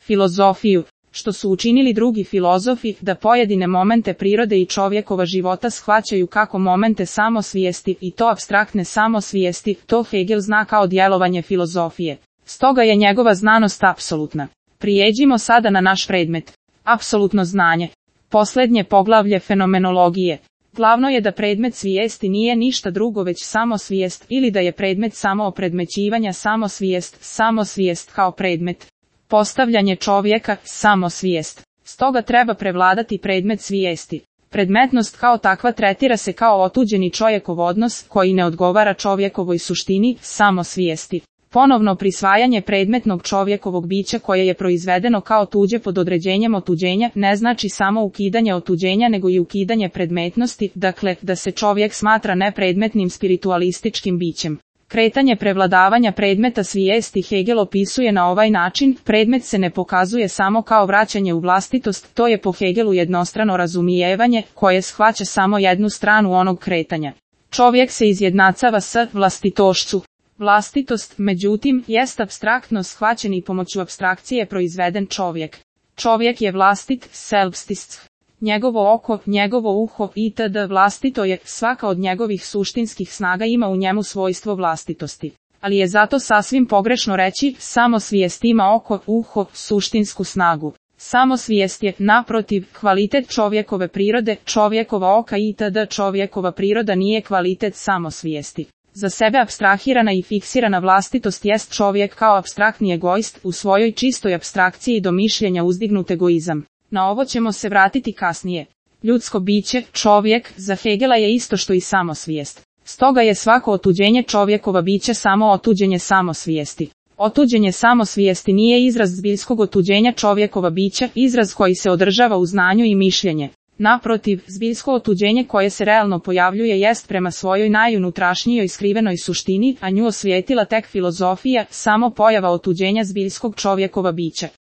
filozofiju, što su učinili drugi filozofi, da pojedine momente prirode i čovjekova života shvaćaju kako momente samosvijesti i to apstraktne samosvijesti, to Hegel zna kao djelovanje filozofije. Stoga je njegova znanost apsolutna. Prijeđimo sada na naš predmet. Apsolutno znanje. Posljednje poglavlje fenomenologije. Glavno je da predmet svijesti nije ništa drugo već samosvijest ili da je predmet samo opredmećivanja samosvijest kao predmet. Postavljanje čovjeka, samosvijest. Stoga treba prevladati predmet svijesti. Predmetnost kao takva tretira se kao otuđeni čovjekov odnos koji ne odgovara čovjekovoj suštini, samosvijesti. Ponovno prisvajanje predmetnog čovjekovog bića koje je proizvedeno kao tuđe pod određenjem otuđenja ne znači samo ukidanje otuđenja nego i ukidanje predmetnosti, dakle da se čovjek smatra nepredmetnim spiritualističkim bićem. Kretanje prevladavanja predmeta svijesti Hegel opisuje na ovaj način, predmet se ne pokazuje samo kao vraćanje u vlastitost, to je po Hegelu jednostrano razumijevanje, koje shvaća samo jednu stranu onog kretanja. Čovjek se izjednacava s vlastitošću. Vlastitost, međutim, jest apstraktno shvaćen i pomoću apstrakcije proizveden čovjek. Čovjek je vlastit, selbstist. Njegovo oko, njegovo uho itd. Vlastito je, svaka od njegovih suštinskih snaga ima u njemu svojstvo vlastitosti. Ali je zato sasvim pogrešno reći, samosvijest ima oko, uho, suštinsku snagu. Samosvijest je, naprotiv, kvalitet čovjekove prirode, čovjekova oka itd. Čovjekova priroda nije kvalitet samosvijesti. Za sebe apstrahirana i fiksirana vlastitost jest čovjek kao apstraktni egoist, u svojoj čistoj apstrakciji do mišljenja uzdignut egoizam. Na ovo ćemo se vratiti kasnije. Ljudsko biće, čovjek, za Hegela je isto što i samosvijest. Stoga je svako otuđenje čovjekova bića samo otuđenje samosvijesti. Otuđenje samosvijesti nije izraz zbiljskog otuđenja čovjekova bića, izraz koji se održava u znanju i mišljenje. Naprotiv, zbiljsko otuđenje koje se realno pojavljuje jest prema svojoj najunutrašnjijoj skrivenoj suštini, a nju osvijetila tek filozofija, samo pojava otuđenja zbiljskog čovjekova bića.